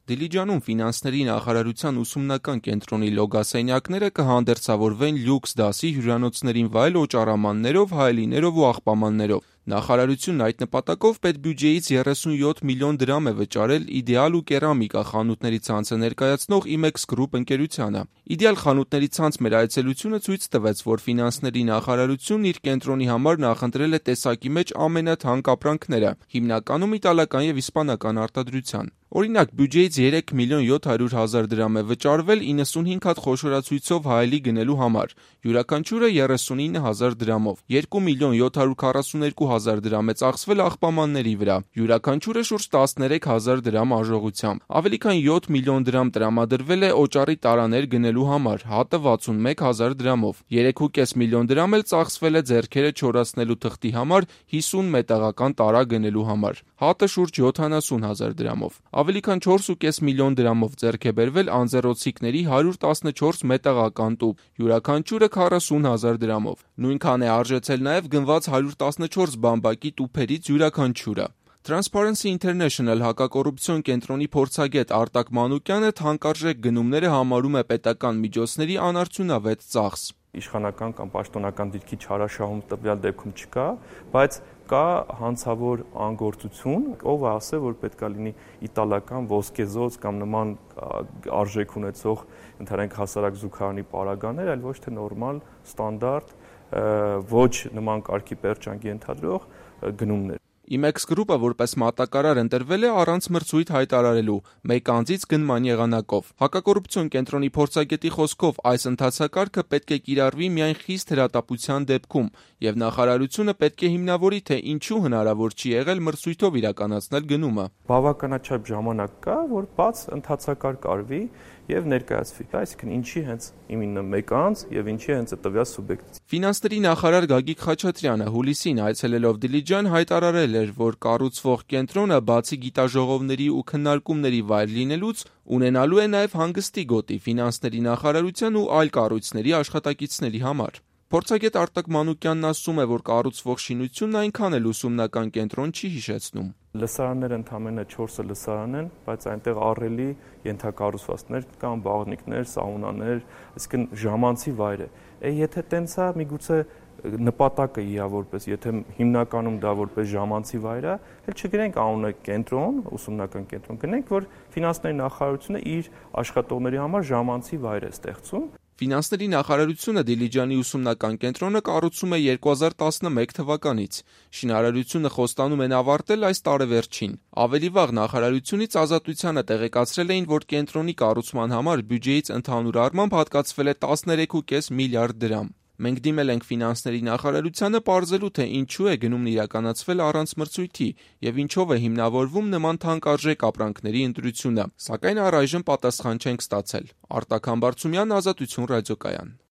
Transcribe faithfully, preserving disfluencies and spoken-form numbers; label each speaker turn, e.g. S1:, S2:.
S1: Դիլիջանում ֆինանսների նախարարության ուսումնական կենտրոնի լոգասենյակները կհանդերձավորվեն լյուքս դասի հյուրանոցներին վայել օճառամաններով, հայելիներով ու աղբամաններով։ Նախարարությունն այդ նպատակով պետբյուջեից երեսունյոթ միլիոն դրամ է վճարել «Իդեալ» ու «Կերամիկա» խանութների ցանցը ներկայացնող Imex Group ընկերությանը։ «Իդեալ» խանութների ցանց մեր այցելությունը ցույց տվեց, որ ֆինանսների նախարարությունն իր կենտրոնի համար նախընտրել է տեսակի մեջ ամենաթանկ ապրանքները, հիմնականում իտալական և իսպանական արտադրության։ Օրինակ, բյուջեից երեք միլիոն յոթ հարյուր հազար դրամ է վճարվել իննսունհինգ հատ խոշորացույցով հայելի գնելու համար, յուրաքանչյուրը երեսունինը հազար դրամով, երկու միլիոն յոթ հարյուր քառասունյոթ հազար դրամ է ծախսվել աղբամանների վրա, յուրաքանչյուրը շուրջ տասներեք հազար դրամ արժողությամբ, ավելի քան յոթ միլիոն դրամ տրամադրվել է օճառի տարաներ գնելու համար, հատը վաթսունմեկ հազար դրամով, երեք ու կես միլիոն դրամ էլ ծախսվել է ձեռքերը չորացնելու թղթի համար հիսուն մետաղական տարա գնելու համար, հատը շուրջ յոթանասուն հազար դրամով, ավելի քան չորս ու կես միլիոն դրամով ձեռք է բերվել անձեռոցիկների հարյուր տասնչորս մետաղական տուփ, յուրաքանչյուրը քառասուն հազար դրամով, նույնքան է արժեցել նաև գնված հարյուր տասնչորս բամբակի տուփերից յուրաքանչյուրը։ Transparency International հակակոռուպցիոն կենտրոնի փորձագետ Արտակ Մանուկյանը թանկարժեք գնումները համարում է պետական միջոցների անարդյունավետ ծախս։
S2: Իշխանական կամ պաշտոնական դիրքի չարաշահում տվյալ դեպքում չկա, բայց կա հանցավոր անգործություն, ով է ասել, որ պետքա լինի իտալական ոսկեզոծ կամ նման արժեք ունեցող ընդհանրենք հասարակ զուգարանի պարագաներ, այլ ոչ թե նորմալ, ստանդարտ, ոչ նման կարգի պերճանք ենթադրող գնումներ։
S1: Imex Group-ը որպես մատակարար ընտրվել է առանց մրցույթ հայտարարելու, մեկ անձից գնման եղանակով։ Հակակոռուպցիոն կենտրոնի փորձագետի խոսքով այս ընթացակարգը պետք է կիրառվի միայն խիստ հրատապության դեպքում, և նախարարությունը պետք է հիմնավորի, թե ինչու հնարավոր չի եղել մրցույթով իրականացնել գնումը։
S2: Բավականաչափ ժամանակ կա, որ բաց ընթացակարգ արվի և ներկայացվի, այսինքն ինչի հենց իմенно մեկ անձ և ինչի հենց տվյալ սուբյեկտ։
S1: Ֆինանսների նախարար Գագիկ Խաչատրյանը հուլիսին այցելելով Դիլիջան հայտարարել էր, որ կառուցվող կենտրոնը բացի գիտաժողովների ու քննարկումների վայր լինելուց, ունենալու է նաև հանգստի գոտի ֆինանսների նախարարության ու այլ կառույցների աշխատակիցների համար։ Փորձագետ Արտակ Մանուկյանն ասում է, որ կառուցվող շինությունն այնքան էլ ուսումնական կենտրոն չի հիշեցնում։
S2: Լսարանները ընդամենը չորսը լսարան են, բայց այնտեղ ահռելի ենթակառուցվածքներ կան, բաղնիքներ, սաունաներ, այսինքն ժամանցի վայր է։ Եթե տենց է, միգուցե նպատակը իհա որպես, եթե հիմնականում դա որպես ժամանցի վայր է, էլ չգրենք անունը կենտրոն, ուսումնական կենտրոն, գնենք, որ ֆինանսների նախարարությունը իր աշխատողների համար ժամանցի վայր է ստեղծում։
S1: Ֆինանսների նախարարությունը Դիլիջանի ուսումնական կենտրոնը կառուցում է երկու հազար տասնմեկ թվականից։ Շինարարությունը խոստանում են ավարտել այս տարեվերջին։ Ավելի վաղ նախարարությունից Ազատությանը տեղեկացրել էին, որ կենտրոնի կառուցման համար բյուջեից ընդհանուր առմամբ հատկացվել է տասներեք ու կես միլիարդ դրամ։ Մենք դիմել ենք ֆինանսների նախարարությանը պարզելու, թե ինչու է գնումն իրականացվել առանց մրցույթի և ինչով է հիմնավորվում նման թանկարժեք ապրանքների ընտրությունը, սակայն առայժմ պատասխան չենք ստացել։ Արտակ Համբարձումյան, Ազատություն ռադիոկայան։